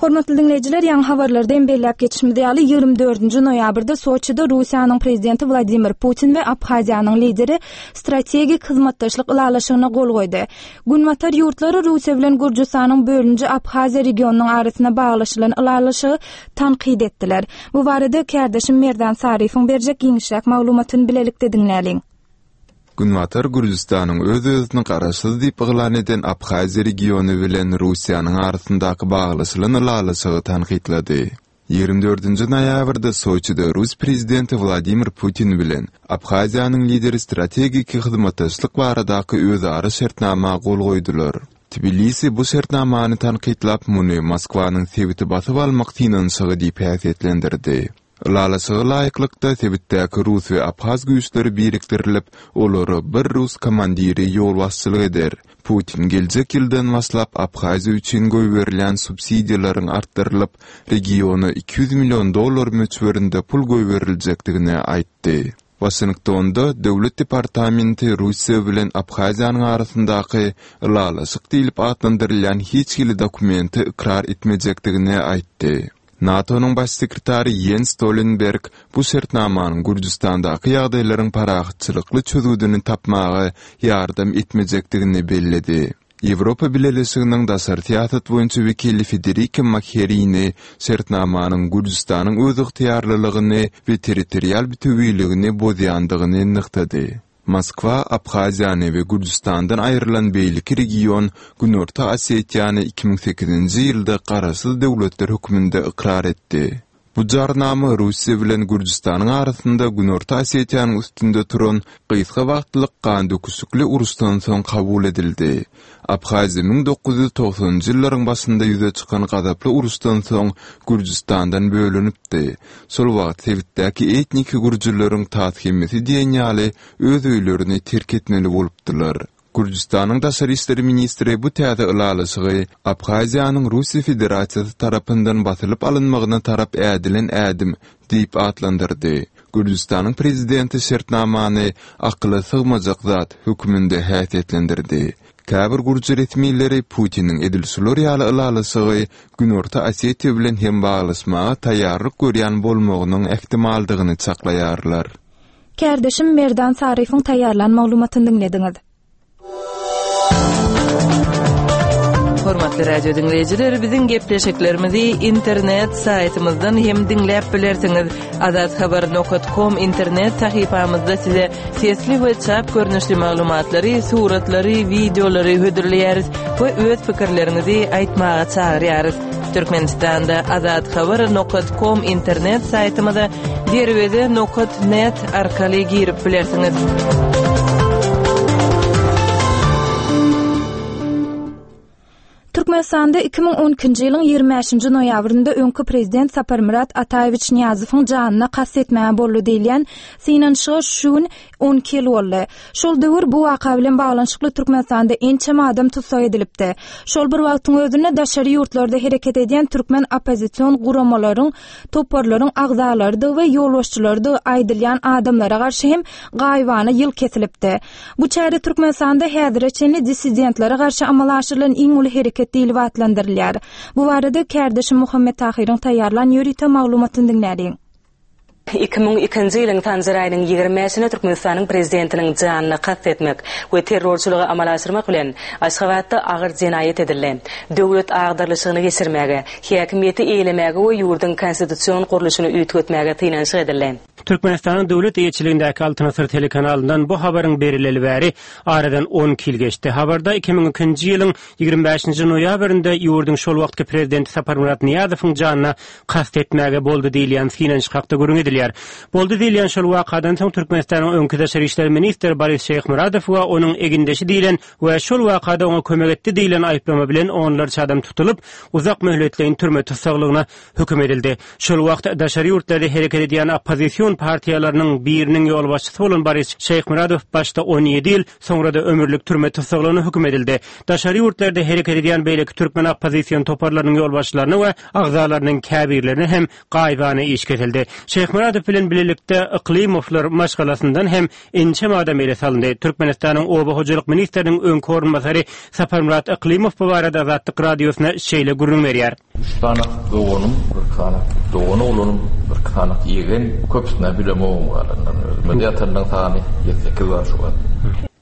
Hormatly diňleýjiler, ýaňy habarlarda hem belläp geçişimiz ýaly, 24-nji noýabrda Soçide Russiýanyň Prezidenti Wladimir Putin we Abhaziýanyň lideri strategik hyzmatdaşlyk ylalaşygyna gol goýdy. Günbatar ýurtlary Russiýa bilen Gürjüstanyň bölüniji Abhaziýa regionynyň arasynda baglaşylan ylalaşygy tankyt etdiler. Bu barada kärdeşim Merdan Saryýewiň berjek giňişräk maglumatyny bilelikde diňläliň. Günbatar Gürjüstanyň öz-özüni garaşsyz diýip yglan eden Abhaziýa regiony bilen Russiýanyň arasyndaky baglaşylan ylalaşygy tankytlady. 24-nji noýabrda Soçide rus prezidenti Wladimir Putin bilen Abhaziýanyň lideri strategik hyzmatdaşlyk baradaky özara şertnama gol goýdular. Tbilisi bu şertnamany tankytlap, muny Moskwanyň sebiti basyp almak synanyşygy diýip häsiýetlendirdi. Ylalaşyga laýyklykda, sebitdäki rus we abhaz güýçleri birikdirilip, olara bir rus komandiri ýolbaşçylyk eder. Putin geljek ýyldan başlap Abhaziýa üçin goýberilýän subsidiýalaryň artdyrylyp, regiona 200 million dollar möçberinde pul goýberiljekdigini aýtdy. Waşingtonda Döwlet departamenti Russiýa bilen Abhaziýanyň arasyndaky ylalaşyk diýlip atlandyrylýan hiç hili dokumenti ykrar etmejekdigini aýtdy. NATO-nyň Baş sekretary Ýens Stolenberg bu şertnamanyň Gürjüstandaky ýagdaýlaryň parahatçylykly çözgüdini tapmaga ýardam etmejekdigini belledi. Ýewropa Bileleşiginiň daşary syýasat boýunça wekili Federika Mogherini şertnamanyň Gürjüstanyň özygtyýarlylygyny we territorial bütewiligini bozýandygyny nygtady. Moskwa Abhaziýany we Gürjüstandan aýrylan beýleki region Günorta Osetiýany 2008-nji ýylda garaşsyz döwletler hökmünde ykrar etdi. Bu jarnama Russiýa bilen Gürjüstanyň arasynda Günorta Osetiýanyň üstünde turan gysga wagtlyk gandöküşikli uruşdan soň kabul edildi. Abhaziýa 1990-njy ýyllaryň başynda ýüze çykan gazaply uruşdan soň Gürjüstandan bölünipdi. Şol wagt sebitdäki etniki gürjüleriň tas hemmesi diýen ýaly öz öýlerini terk etmeli bolupdylar. Gürjüstanyň daşary işler ministri bu täze ylalaşygy Abhaziýanyň Russiýa Federasiýasy tarapyndan basylyp alynmagyna tarap ädilen ädim diýip atlandyrdy. Gürjüstanyň prezidenti şertnamany akyla sygmajak zat hökmünde häsiýetlendirdi. Käbir gürji resmileri Putiniň edil şular ýaly ylalaşygy Günorta Osetiýa bilen hem baglaşmaga taýýarlyk görýän bolmagynyň ähtimaldygyny çaklaýarlar. Kärdeşim Merdan Saryýewiň taýýarlan maglumatyny diňlediňiz. Hormatly radio diňleýjiler, biziň gepleşiklerimizi internet saýtymyzdan hem diňläp bilersiňiz. Azathabar.com internet sahypamyzda size sesli we çap görnüşli maglumatlary, suratlary, wideolary hödürleýäris we öz pikirleriňizi aýtmaga çagyrýarys. Türkmenistanda azathabar.com internet saýtymyza Derweze nokat net arkaly girip bilersiňiz. Türkmenistanda 2012-nji ýylyň 25-nji noýabrynda öňki prezident Saparmyrat Ataýewiç Nyýazowyň janyna kast etmäge boldy diýilýän synanyşyga şu gün 12 ýyl boldy. Şol döwür bu waka bilen baglanyşykly Türkmenistanda ençeme adam tussag edilipdi. Şol bir wagtyň özünde daşary ýurtlarda hereket edýän türkmen oppozision guramalaryň toparlaryň agzalarydygy we ýolbaşçylarydygy aýdylýan adamlara garşy hem gaýybana ýyl kesilipdi. Bu çäre Türkmenistanda häzire çenli dissidentlere garşy amala aşyrylan iň uly hereket diýlip atlandyrylýar. Bu barada kärdeşim Muhammet Tahyryň taýýarlan ýörite maglumatyny diňläliň. 2002-nji ýylyň Sanjar aýynyň 25-ine Türkmenistanyň Prezidentiniň janyna kast etmek we terrorçylygy amala aşyrmak bilen, Aşgabatda agyr jenaýat edildi. Döwlet agdarylyşygyny geçirmäge, häkimiýeti eýelemäge we ýurduň konstitusion gurluşyny üýtgetmäge synanyşyk edildi. Türkmenistanyň döwlet eýeçiligindäki Altyn asyr telekanalyndan bu habaryň berileli bäri aradan 12 ýyl geçdi. Habarda 2002-nji ýylyň 25-nji noýabrynda ýurduň şol wagtky prezidenti Saparmyrat Nyýazowyň janyna kast etmäge boldy diýilýän synanyşyk hakda gürrüň edilýär. Boldy diýilýän şol wakadan soň Türkmenistanyň öňki daşary işler ministri Boris Şeýhmyradow we onuň egindeşi diýlen we şol wakada oňa kömek etdi diýlen aýyplama bilen onlarça adam tutulyp, uzak möhletleýin türme tussaglygyna höküm edildi. Şol wagt daşary ýurtlarda hereket edýän oppozision partiýalarynyň biriniň ýolbaşçysy bolan Boris Şeýhmyradow başda 17 ýyl, soňra-da ömürlik türme tussaglygyna höküm edildi. Daşary ýurtlarda hereket edýän beýleki türkmen oppozision toparlarynyň ýolbaşçylaryna we agzalarynyň käbirlerine hem gaýybana iş kesildi. Şeýhmyradow bilen bilelikde Yklymowlar maşgalasyndan hem ençeme adam ele salyndy. Türkmenistanyň Oba hojalyk ministriniň öňki orunbasary Saparmyrat Yklymow bu barada Azatlyk Radiosyna şeýle gürrüň berýär. Üç sany doganym, birki sany dogan oglanym, birki sany ýegen, köpüsini-ä bilemogam galanlaryny. Özüme-de ýatanlaryň sany ýedi-sekiz bar şu wagt.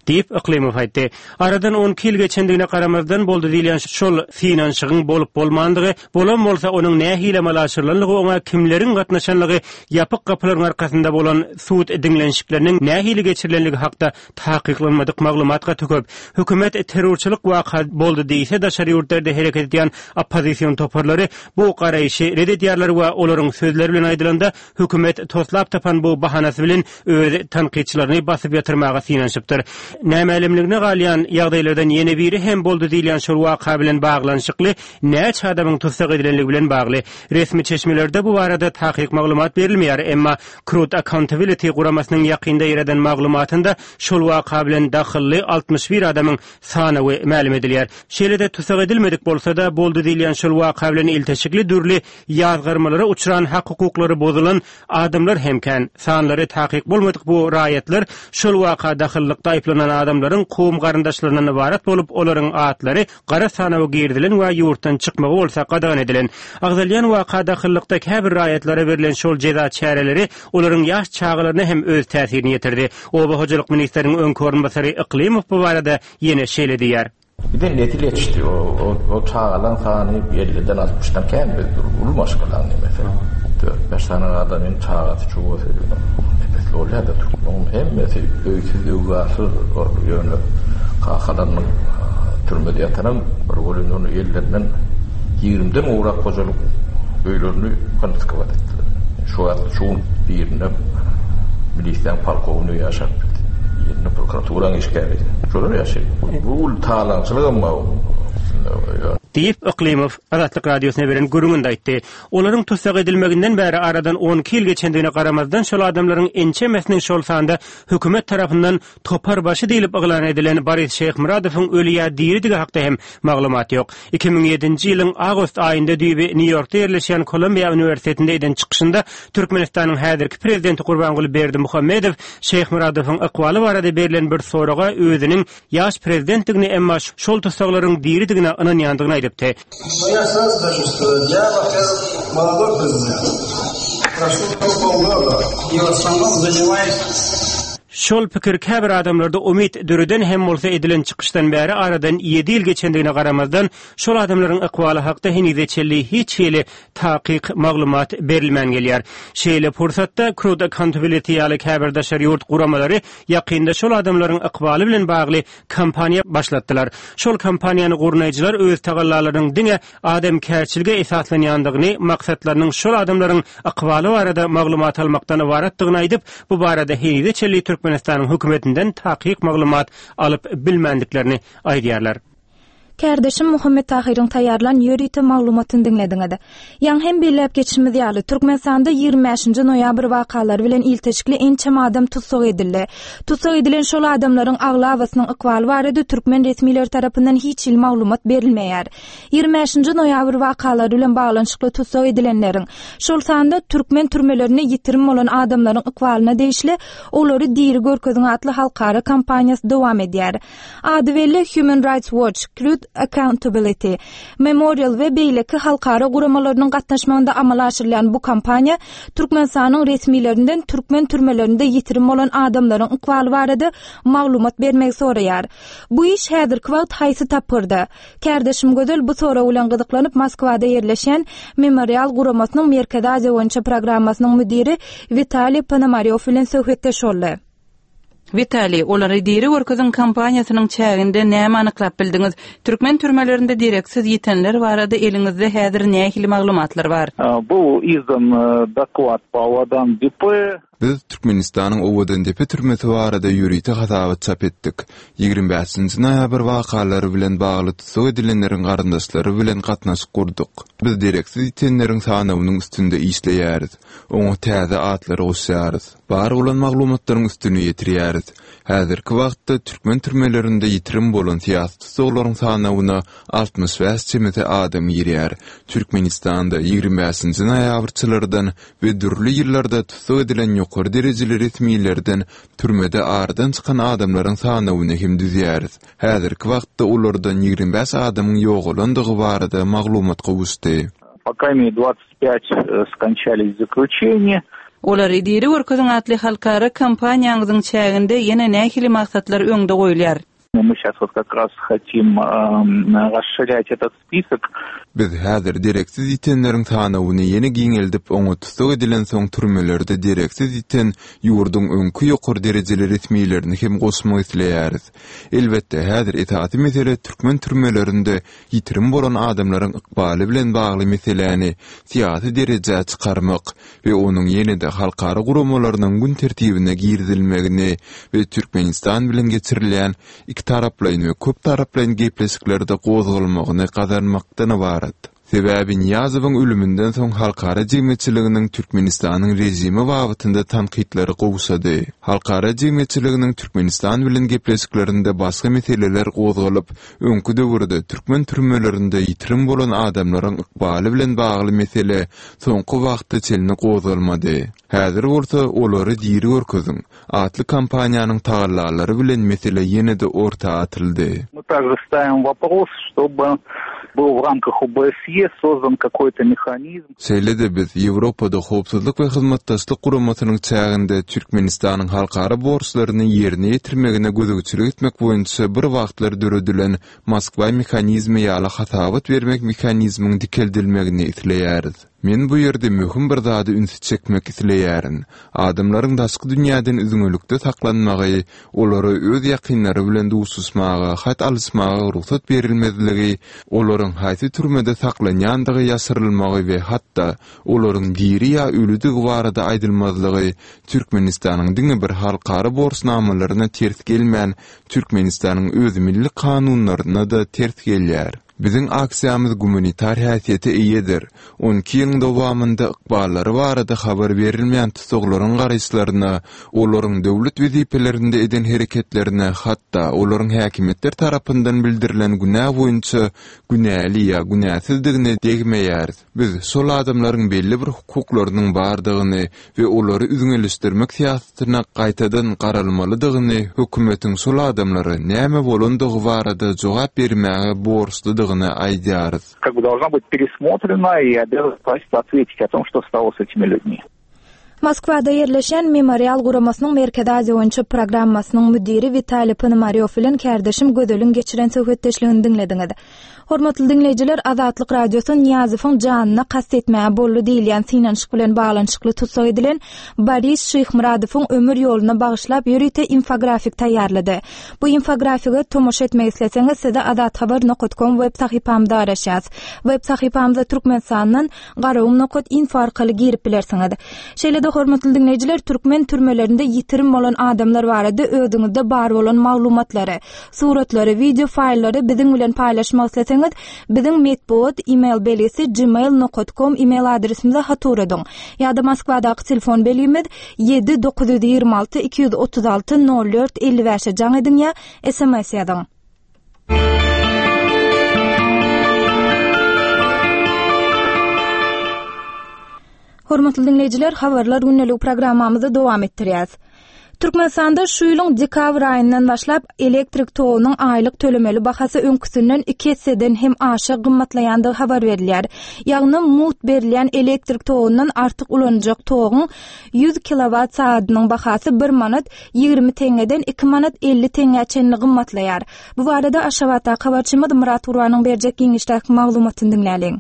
Diýip, Yklymow aýtdy. Aradan 12 ýyl geçendigine garamazdan, boldy diýilýän şol synanyşygyň bolup-bolmandygy, bolan bolsa, onuň nähili amala aşyrylanlygy, oňa kimleriň gatnaşanlygy, ýapyk gapylaryň arkasynda bolan sud diňlenişikleriniň nähili geçirilenligi hakda Takyklanmadyk maglumat gaty köp. Hökümet terrorçylyk waka boldy diýse, daşary ýurtlarda hereket edýän oppozision toparlary bu garaýşy ret edýärler we olaryň sözleri bilen aýdylanda, hökümet toslap tapan bu bahanasy bilen öz tankytçylaryny basyp ýatyrmaga synanyşypdyr. Nämälimligine galýan ýagdaýlardan ýene biri hem boldy diýilýän şol waka bilen baglanyşykly näçe adamyň tussag edilenligi bilen bagly. Resmi çeşmelerde bu barada takyk maglumat berilmeýär, emma Truth Accountability guramasynyň ýakynda ýaýradan maglumatynda şol waka bilen dahylly 61 adamyň sanawy mälim edilýär. Şeýle-de tussag edilmedik bolsa-da, boldy diýilýän şol waka bilen ilteşikli dürli ýazgarmalara uçran hak-hukuklary bozulan adamlar hem kän. Sanlary takyk bolmadyk bu raýatlar şol waka dahyllykda aýyplanan adamlaryň kowum-garyndaşlaryndan ybarat bolup, olaryň atlary gara sanawa girizilen we ýurtdan çykmagy bolsa gadagan edilen. Agzalýan waka dahyllykda käbir raýatlara berlen şol jeza çäreleri olaryň ýaş çagalaryna hem öz täsirini ýetirdi. Oba hojalyk ministriniň öňki orunbasary Yklymow bu barada ýene şeýle diýýär. Bize nesil ýetişdi. O çagalaň sany elliden altmyşdan kän biz uly maşgalaň nemesi. Dört-bäş sany adamyň çagasy çugasy nepesli bolýar-da türkmeniň hemmesi öýsüz-öwzarsyz ýöne kakalarynyň türmede ýatanam bir welin ony ellerinden ýigrimiden gowrak hojalyk öýlerini konfiskowat etdiler. Şu wagt şu gün birinde milisiýanyň polkownigi ýaşap gitdi. Birinde prokuraturanyň işgäri. Şolar ýaşaýar. Bu uly talaňçylygam bar. Diýip, Yklymow Azatlyk Radiosyna beren gürrüňinde aýtdy. Olaryň tussag edilmeginden bäri aradan 12 ýyl geçendigine garamazdan, şol adamlaryň ençemesiniň, şol sanda hökümet tarapyndan topar başy diýlip yglan edilen Boris Şeýhmyradowyň öli ýa diridigi hakda hem maglumat ýok. 2007-nji ýylyň awgust aýynda düýbi Nýu-Ýorkda ýerleşýän Kolumbiýa uniwersitetinde eden çykyşynda Türkmenistanyň häzirki prezidenti Gurbanguly Berdimuhamedow Şeýhmyradowyň ykbaly barada berlen bir soraga özüniň ýaş prezidentdigini, emma şol tussaglaryň diridigine ynanýandygyny aýdypdy. Şol pikir käbir adamlarda umyt döreden hem bolsa edilen çykyşdan bäri aradan ýedi ýyl geçendigine garamazdan şol adamlaryň ykbaly hakda henize çenli hiç hili takyk maglumat berilmän gelýär. Şeýle pursatda Crude Accountability ýaly käbir daşary ýurt guramalary ýakynda şol adamlaryň ykbaly bilen bagly kampaniýa başlatdylar. Şol kampaniýany gurnaýjylar öz tagallalarynyň diňe adamkärçilige esaslanýandygyny, maksatlarynyň şol adamlaryň ykbaly barada maglumat almakdan ybaratdygyny aýdyp, bu barada henize çenli Türkmenistanyň hökümetinden takyk maglumat alyp bilmändiklerini aýdýarlar. Kärdeşim Muhammet Tahyryň taýýarlan ýörite maglumatyny diňlediňiz. Ýaňy hem belläp geçişimiz ýaly, Türkmenistanda 25-nji noýabr wakalary bilen ilteşikli ençeme adam tussag edildi. Tussag edilen şol adamlaryň aglabasynyň ykbaly barada türkmen resmileri tarapyndan hiç hili maglumat berilmeýär. 25-nji noýabr wakalary bilen baglanyşykly tussag edilenleriň, şol sanda türkmen türmelerinde ýitirim bolan adamlaryň ykbalyna degişli Olary diri görkeziň atly halkara kampaniýasy dowam edýär. Ady belli Human Rights Watch, Truth Accountability, Memorial we beýleki halkara guramalarynyň gatnaşmagynda amala aşyrylýan bu kampaniýa Türkmenistanyň resmilerinden türkmen türmelerinde ýitirim bolan adamlaryň ykbaly barada maglumat bermegi soraýar. Bu iş häzirki wagt haýsy tapgyrda? Kärdeşim Gözel bu sorag bilen gyzyklanyp Moskwada ýerleşýän Memorial guramasynyň Merkezi Aziýa boýunça programmasynyň müdiri Witaliý Ponomarýow bilen söhbetdeş boldy. Witaliý, olary diri görkeziň kampaniýasynyň çäginde näme anyklap bildiňiz? Türkmen türmelerinde dereksiz ýitenler barada eliňizde häzir nähili maglumatlar bar? Był izdan doklad po Owadan Depe. Biz Türkmenistanyň Owadandepe türmesi barada ýörite hasabat çap etdik. 25-nji noýabr wakalary bilen bagly tussag edilenleriň garyndaşlary bilen gatnaşyk gurduk. Biz dereksiz ýitenleriň sanawynyň üstünde işleýäris. Oňa täze atlary goşýarys. Bar bolan maglumatlaryň üstüni ýetirýäris. Häzirki wagtda türkmen türmelerinde ýitirim bolan syýasy tussaglaryň sanawyna 65 çemesi adam girýär. Türkmenistanda 25-nji noýabrçylardan we dürli ýyllarda tussag edilen ýokary derejeli resmilerden türmede aradan çykan adamlaryň sanawyny hem düzýäris. Häzirki wagtda olardan 25 adamyň ýogalandygy barada maglumat gowuşdy. По крайней мере, 25 скончались в заключении. Olary diri görkeziň atly halkara kampaniýaňyzyň çäginde ýene nähili maksatlar öňde goýulýar? Мы сейчас вот как раз хотим расширять этот список. Biz häzir dereksiz ýitenleriň sanawyny ýene giňeldip, oňa tussag edilensoň türmelerde dereksiz ýiten ýurduň öňki ýokary derejeli resmilerini hem goşmak isleýäris. Elbetde, häzir esasy mesele türkmen türmelerinde ýitirim bolan adamlaryň ykbaly bilen bagly meseläni syýasy derejä çykarmak we onuň ýene-de halkara guramalarynyň gün tertibine girizilmegini we Türkmenistan bilen geçirilýän ikitaraplaýyn we köptaraplaýyn gepleşiklerde gozgalmagyny gazanmakdan ybarat. Sebäbi Nyýazowyň ölüminden soň halkara jemgyýetçiliginiň Türkmenistanyň režimi babatynda tankytlary gowşady. Halkara jemgyýetçiliginiň Türkmenistan bilen gepleşiklerinde başga meseleler gozgalyp, öňki döwürde türkmen türmelerinde ýitirim bolan adamlaryň ykbaly bilen bagly mesele soňky wagta çenli gozgalmady. Häzir bolsa Olary diri görkeziň! atly kampaniýanyň tagallalary bilen mesele ýene-de orta atyldy. Мы также ставим вопрос, чтобы был в рамках ОБСЕ создан какой-то механизм. Şeýle-de biz Ýewropada Howpsuzlyk we Hyzmatdaşlyk Guramasynyň çäginde Türkmenistanyň halkara borçlaryny ýerine ýetirmegine gözegçilik etmek boýunça bir wagtlar döredilen Moskwa mehanizmi ýaly hasabat bermek mehanizmiň dikeldilmegini isleýäris. Men bu ýerde möhüm bir zada ünsi çekmek isleýärin. Adamlaryň daşky dünýäden üzňelikde saklanmagy, olara öz ýakynlary bilen duşuşmaga, hat alyşmaga rugsat berilmezligi, olaryň haýsy türmede saklanýandygy ýaşyrylmagy we hatda olaryň diri ýa ölüdigi barada aýdylmazlygy Türkmenistanyň diňe bir halkara borçnamalaryna ters gelmän, Türkmenistanyň öz milli kanunlaryna-da ters gelýär. Biziň aksiýamyz gumanitar häsiýete eýedir. On iki ýylyň dowamynda ykballary barada habar berilmeýän tussaglaryň garaýyşlaryna, olaryň döwlet wezipelerinde eden hereketlerine, hatda olaryň häkimiýetler tarapyndan bildirilen günä boýunça günäli ýa günäsizdigine degmeýäris. Biz şol adamlaryň belli bir hukuklarynyň bardygyny we olary üzňeleşdirmek syýasatyna gaýtadan garalmalydygyny, hökümetiň şol adamlara näme bolandygy barada jogap bermäge borçludygyny aýdýarys. Как бы должна быть пересмотрена и обязана правительство ответить о том, что стало с этими людьми. Moskwada ýerleşýän Memorial guramasynyň Merkezi Aziýa boýunça programmasynyň müdiri Witaliý Ponomarýow bilen kärdeşim Gözeliň geçiren söhbetdeşligini diňlediňiz. Hormatly diňleýjiler, Azatlyk Radiosy Nyýazowyň janyna kast etmäge boldy diýilýän synanyşyk bilen baglanyşykly tussag edilen Boris Şyhmyradowyň ömür ýoluna bagyşlap ýörite infografik taýýarlady. Bu infografige tomaşa etmek isleseňiz sizi azathabar nokat kom web sahypamyzda garaşýas. Web sahypamyza Türkmenistandan Garagum nokat info arkaly girip bilersiňiz. Şeýle-de hormatly diňleýjiler türkmen türmelerinde ýitirim bolan adamlar barada özüňizde bar bolan maglumatlary, suratlary, wideo faýllary biziň bilen paýlaşmak isleseňiz, biziň metbugat email belgisi gmail nokat kom email adresimize hat ugradyň. Ýa-da Moskwadaky telefon belgimiz 7 926 236 04 55-e jaň ediň ýa sms ýazyň. Hormatly diňleýjiler, Habarlar gündeligi programmamyzy dowam etdirýäs. Türkmenistanda şu ýylyň dekabr aýyndan başlap elektrik togunyň aýlyk tölemeli bahasy öňküsinden iki esseden hem aşa gymmatlaýandygy habar berilýär. Ýagny mugt berilýän elektrik togundan artyk ulanyljak toguň 100 kilowat sagadynyň bahasy bir manat 20 teňňeden 2 manat 50 teňňä çenli gymmatlaýar. Bu barada Aşgabatdaky habarçymyz Myrat Gurbanyň berjek giňişdäki maglumatyny diňläliň.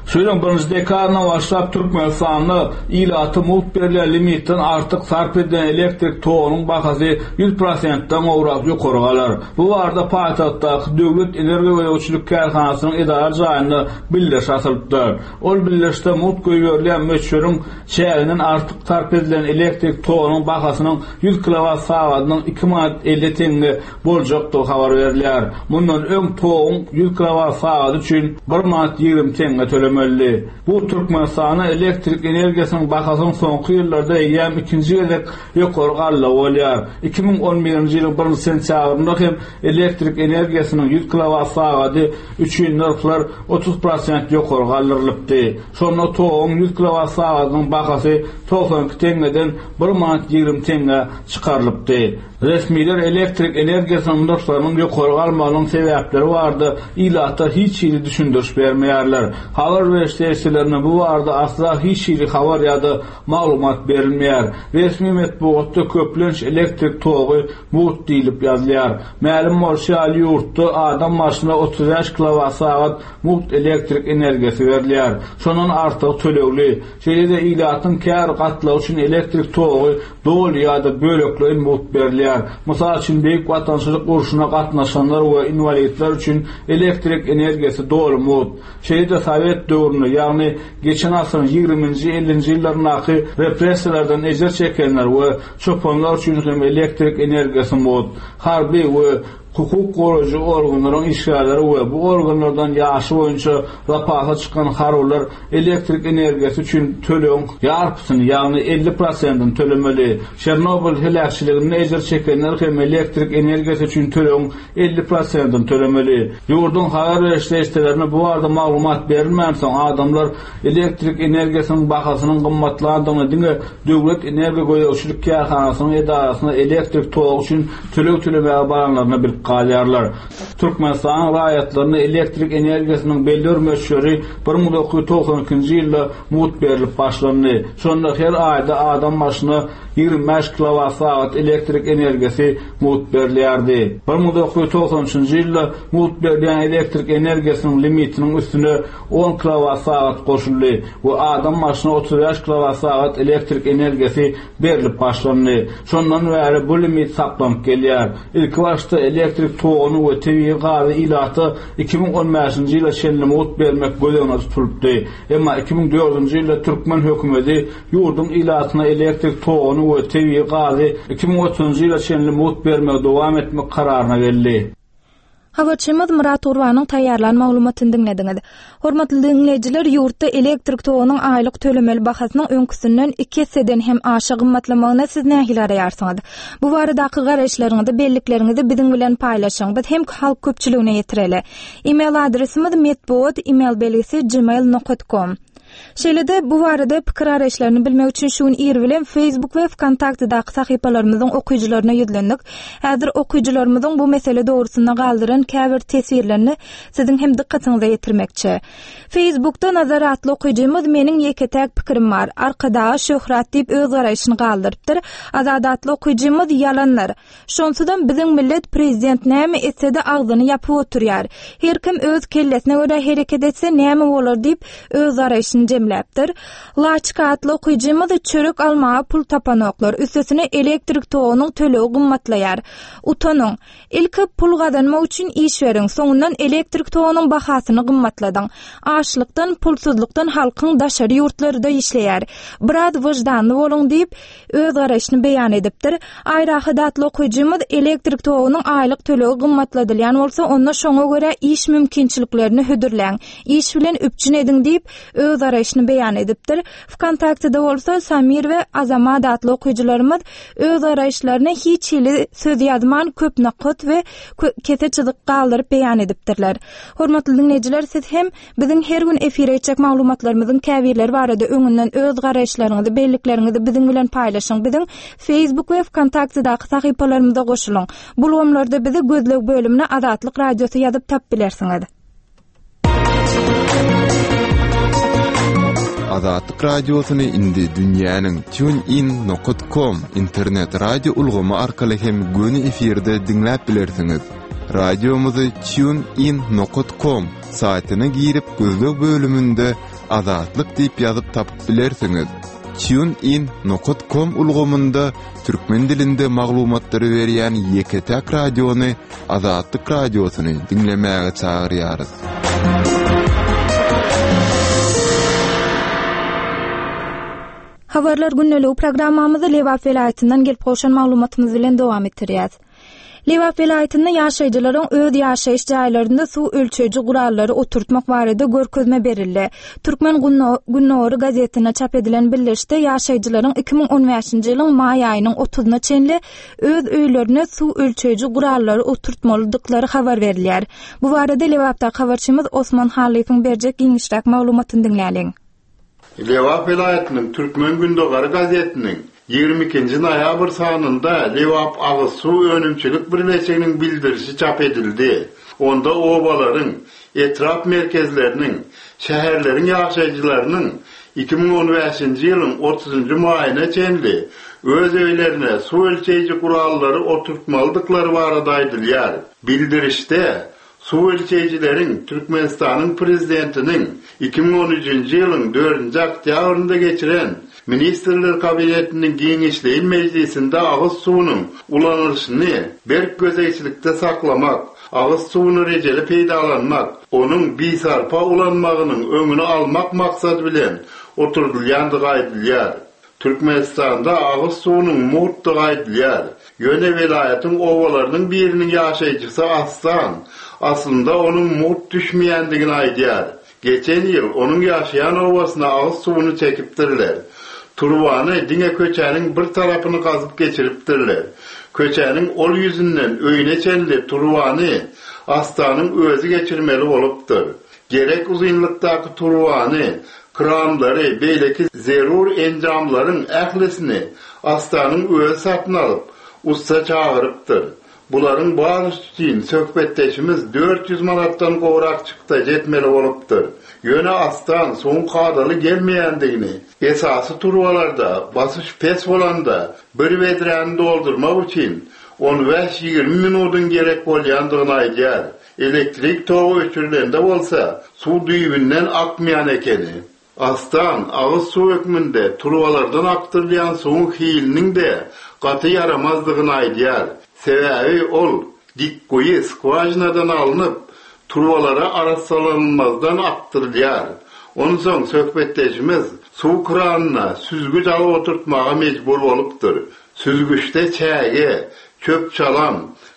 Şu ýylyň birinji dekabryndan başlap Türkmenistanda ilata mugt berilýän limitden artyk sarp edilen elektrik togunyň bahasy ýüz prosentden gowrak ýokary galar. Bu barada paýtagtdaky Döwlet energiýa gözegçilik kärhanasynyň edara jaýynda bildiriş atylypdyr. Ol bildirişde mugt goýberilýän möçberiň çäginden artyk sarp edilen elektrik togunyň bahasynyň ýüz kilowat sagadynyň iki manat 50 teňňe boljakdygy habar berilýär. Mundan öň toguň ýüz kilowat sagady üçin bir manat 20 teňňe tölemelidi. Bu Türkmenistanda elektrik energiýasynyň bahasynyň soňky ýyllarda eýýäm ikinji gezek ýokary galdygy bolýar. 2011-nji ýylyň birinji sentýabrynda hem elektrik energiýasynyň ýüz kilowat sagady üçin nyrhlar 30 prosent ýokary galdyrylypdy. Şonda toguň ýüz kilowat sagadynyň bahasy 92 teňňeden bir manat 20 teňňä çykarylypdy. Resmiler elektrik energiýasynyň nyrhlarynyň ýokary galmagynyň sebäpleri barada ilata hiç hili düşündiriş bermeýärler. Habar beriş serişdelerinde bu barada asla hiç hili habar ýa-da maglumat berilmeýär. Resmi metbugatda köplenç elektrik togy mugt diýlip ýazylýar. Mälim bolşy ýaly, ýurtda adam başyna 35 kilowat-sagat mugt elektrik energiýasy berilýär. Şondan artygy tölegli. Şeýle-de ilatyň käbir gatlagy üçin elektrik togy doly ýa-da bölekleýin mugt berilýär. Mysal üçin, Beýik Watançylyk urşuna gatnaşanlar we inwalidler üçin elektrik energiýasy doly mugt. Şeýle-de sowet döwründe, ýagny geçen asyryň ýigriminji, ellinji ýyllaryndaky repressiýalardan ejir çekenler we çopanlar üçin hem elektrik energiýasy mugt. Harby we Hukuk goraýjy organlaryň işgärleri we bu organlardan ýaşy boýunça zapasa çykan harbylar elektrik energiýasy üçin tölegiň ýarpysyny, ýagny 50 prosentini tölemeli. Çernobyl heläkçiliginde ejir çekenler hem elektrik energiýasy üçin tölegiň 50 prosentini tölemeli. Ýurduň habar beriş serişdelerinde bu barada maglumat berilmänsoň, adamlar elektrik energiýasynyň bahasynyň gymmatlandygyny diňe Döwlet energiýa gözegçilik kärhanasynyň edarasyna elektrik togy üçin töleg tölemäge baranlarynda bilip galýarlar. Türkmenistanyň raýatlaryna elektrik energiýasynyň belli bir möçberi 1992-nji ýylda mugt berlip başlandy. Şonda her aýda adam başyna 25 kilowat-sagat elektrik energiýasy mugt berilýärdi. 1993-nji ýylda mugt berilýän elektrik energiýasynyň limitiniň üstüne on kilowat-sagat goşuldy we adam başyna 35 kilowat-sagat elektrik energiýasy berlip başlandy. Şondan bäri bu limit saklanyp gelýär. Ilkibaşda elektrik toguny we tebigy gazy ilata 2015-nji ýyla çenli mugt bermek göz öňünde tutulypdy. Emma 2004-nji ýylda türkmen hökümeti ýurduň ilatyna elektrik toguny we tebigy gazy 2030-njy ýyla çenli mugt bermegi dowam etmek kararyna geldi. Habarçymyz Myrat Gurbanyň taýýarlan maglumatyny diňlediňiz. Hormatly diňleýjiler, ýurtda elektrik togunyň aýlyk tölemeli bahasynyň öňküsinden iki esseden hem aşa gymmatlamagyna siz nähili garaýarsyňyz? Bu baradaky garaýyşlaryňyzy, bellikleriňizi biziň bilen paýlaşyň. Biz hem halk köpçüligine ýetireli. E-mail adresimiz metbugat email belgisi gmail nokat kom. Şeýle-de, bu barada pikir-garaýyşlaryny bilmek üçin şu gün ir bilen Facebook we Wkontaktedaky sahypalarymyzyň okyjylaryna ýüzlendik. Häzir okyjylarymyzyň bu mesele dogrusynda galdyran käbir teswirlerini siziň hem dykgatyňyza ýetirmekçi. Facebookda Nazar atly okyjymyz Meniň ýeke-täk pikirim bar. Arkadaga şöhrat diýip öz garaýşyny galdyrypdyr. Azat atly okyjymyz Ýalandyr. Şonsuzam biziň millet prezident näme etsede agzyny ýapyp oturýar. Her kim öz kellesine görä hereket etse näme bolar diýip öz garaýşyny jemläpdir. Laçka atly okyjymyz çörek almaga pul tapanoklar, üstesine elektrik togunyň tölegi gymmatlaýar. Utanyň. Ilki pul gazanmak üçin iş beriň, soňundan elektrik togunyň bahasyny gymmatladyň. Açlykdan, pulsuzlykdan halkyň daşary ýurtlarda işleýär. Biraz wyždanly boluň diýip, öz garaýşyny beýan edipdir. Aýrahat atly okyjymyz elektrik togunyň aýlyk tölegi gymmatladylýan bolsa, onda şoňa görä iş mümkinçiliklerini hödürläň, iş bilen üpjün ediň diýip, öz garaýşyny beýan edipdir. Wkontaktede bolsa Samir we Azamat atly okyjylarymyz öz garaýyşlaryny hiç hili söz ýazman köp nokat we kese çyzyk galdyryp beýan edipdirler. Hormatly diňleýjiler, siz hem Biziň her gün efire etjek maglumatlarymyzyň käbirleri barada öňünden öz garaýyşlaryňyzy, bellikleriňizi biziň bilen paýlaşyň. Biziň Facebook we Wkontaktedaky sahypalarymyza goşulyň. Bu ulgamlarda bizi gözleg bölümine Azatlyk Radiosy ýazyp tapyp bilersiňiz. Azatlyk Radiosyny indi dünýäniň TuneIn nokat com internet radio ulgamy arkaly hem göni efirde diňläp bilersiňiz. Radiomyzy TuneIn nokat com Saýtyna girip gözleg bölüminde Azatlyk diýip ýazyp tapyp bilersiňiz. Tune in nokat kom ulgamynda türkmen dilinde maglumatlary berýän ýeke-täk radiony Azatlyk Radiosyny diňlemäge çagyrýarys. Habarlar gündeligi programmamyzy Lebap welaýatyndan gelip gowşan maglumatymyz bilen dowam etdirýäs. Lebap welaýatynda ýaşaýjylaryň öz ýaşaýyş jaýlarynda suw ölçeýji gurallary oturtmak barada görkezme berildi. Türkmen gündogary gazetinde çap edilen bildirişde ýaşaýjylaryň 2015-nji ýylyň maý aýynyň otuzyna çenli öz öýlerine suw ölçeýji gurallary oturtmalydyklary habar berilýär. Bu barada Lebapdaky habarçymyz Osman Hallyýewiň berjek giňişräk maglumatyny diňläliň. Lebap welaýatynyň Türkmen gündogary gazetiniň. 22-nji noýabr sanynda Lebap agyz suw önümçilik birleşiginiň bildirişi çap edildi. Onda obalaryň, etrap merkezleriniň, şäherleriň ýaşaýjylarynyň 2015-nji ýylyň otuzynjy maýyna çenli öz öýlerine suw ölçeýji gurallary oturtmalydyklary barada aýdylýar. Bildirişde Suw ölçeýjileriň Türkmenistanyň Prezidentiniň 2013-nji ýylyň dördünji oktýabrynda geçiren Ministrler Kabinetiniň giňişleýin mejlisinde agyz suwunyň ulanylyşyny berk gözegçilikde saklamak, agyz suwuny rejeli peýdalanmak, onuň bisarpa ulanmagynyň öňüni almak maksady bilen oturdylýandygy aýdylýar. Türkmenistanda agyz suwunyň mugtdygy aýdylýar. Ýöne welaýatyň obalarynyň biriniň ýaşaýjysy Aslan, aslynda onuň mugt düşmeýändigini aýdýar. Geçen ýyl onuň ýaşaýan obasyna agyz suwuny çekipdirler. Turbany diňe köçäniň bir tarapyny gazyp geçiripdirler. Köçäniň ol ýüzünden öýüne çenli turbany Astanyň özi geçirmeli bolupdyr. Gerek uzynlykdaky turbany, kranlary, beýleki zerur enjamlaryň ählisini Astanyň özi satyn alyp, ussa çagyrypdyr. Bularyň barysy üçin söhbetdeşimiz 400 manatdan gowrak çykdajy etmeli bolupdyr. Ýöne Astan suwuň kadaly gelmeýändigini, esasy turbalarda basyş pes bolanda bir bedräni doldurmak üçin on bäş-ýigrimi minudyň gerek bolýandygyny aýdýar. Elektrik togy öçürilende bolsa, suw düýbünden akmaýan ekeni. Astan, agyz suw hökmünde turbalardan akdyrylýan suwuň hiliniň-de gaty ýaramazdygyny aýdýar. Sebäbi ol dikguýy skwažinadan alnyp, turbalara arassalanylmazdan akdyrylýar. Onsoň söhbetdeşimiz suw kranyna süzgüç alyp oturtmaga mejbur bolupdyr. Süzgüçde çäge, çöp-çalam,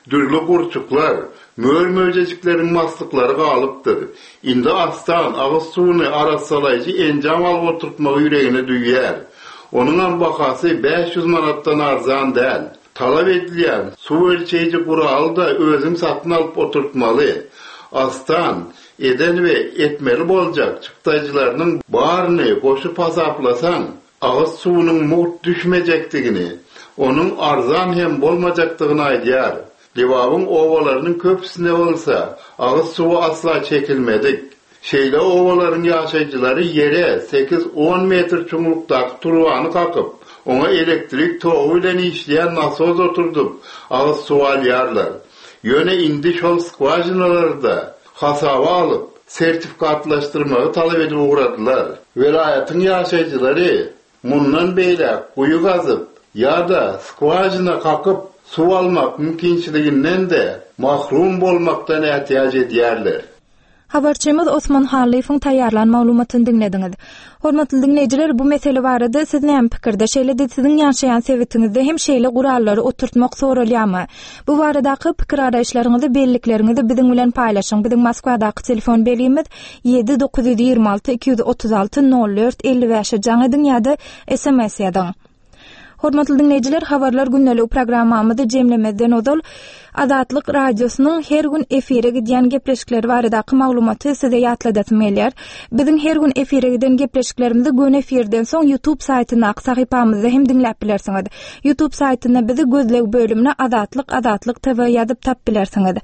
dürli gurçuklar, mör-möjejikleriň maslyklary galypdyr. Indi Astan agyz suwuny arassalaýjy enjam alyp oturtmagy ýüregine düwýär. Onuňam bahasy 500 manatdan arzan däl. Talap edilýän suw ölçeýji guraly-da özüň satyn alyp oturtmaly. Astan eden we etmeli boljak çykdajylarynyň baryny goşup hasaplasaň, agyz suwunyň mugt düşmejekdigini, onuň arzan hem bolmajakdygyny aýdýar. Lebabyň obalarynyň köpüsinde bolsa agyz suwy asla çekilmedik. Şeýle obalaryň ýaşaýjylary ýere sekiz-on metr çuňlukdaky turbany kakyp, oňa elektrik togy bilen işleýän nasos oturdyp, agyz suwy alýarlar. Ýöne indi şol skwažinalary-da hasaba alyp, sertifikatlaşdyrmagy talap edip ugradylar. Welaýatyň ýaşaýjylary mundan beýläk guýy gazyp ýa-da skwažina kakyp suw almak mümkinçiliginden-de mahrum bolmakdan ätiýaç edýärler. Habarçymyz Osman Hallyýewiň taýýarlan maglumatyny diňlediňiz. Hormatly diňleýjiler, bu mesele barada siz näme pikirde? Şeýle-de siziň ýaşaýan sebitiňizde hem şeýle gurallary oturtmak soralýarmy? Bu baradaky pikir-garaýyşlaryňyzy, bellikleriňizi biziň bilen paýlaşyň. Biziň Moskwadaky telefon belgimiz 7 926 236 04 55-e jaň ediň ýa-da sms ýazyň. Hormatly diňleýjiler, Habarlar gündeligi programmamyzy jemlemezden ozal Azatlyk Radiosynyň her gün efire gidýän gepleşikleri baradaky maglumaty size ýatladasym gelýär. Biziň her gün efire giden gepleşiklerimizi göni efirden soň YouTube saýtyndaky sahypamyzda hem diňläp bilersiňiz. YouTube saýtynda bizi gözleg bölümine Azatlyk Azatlyk TV ýazyp tap bilersiňiz.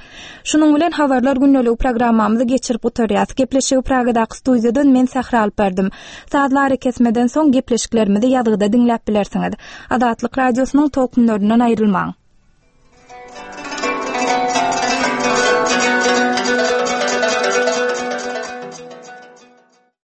Şunuň bilen Habarlar gündeligi programmamyzy geçirip gutarýas. Gepleşigi Pragadaky studiýadan men Sähra alyp bardym. Sazly arakesmeden soň gepleşiklerimizi ýazgyda diňläp bilersiňiz. Azatlyk Radiosynyň tolkunlaryndan aýrylmaň!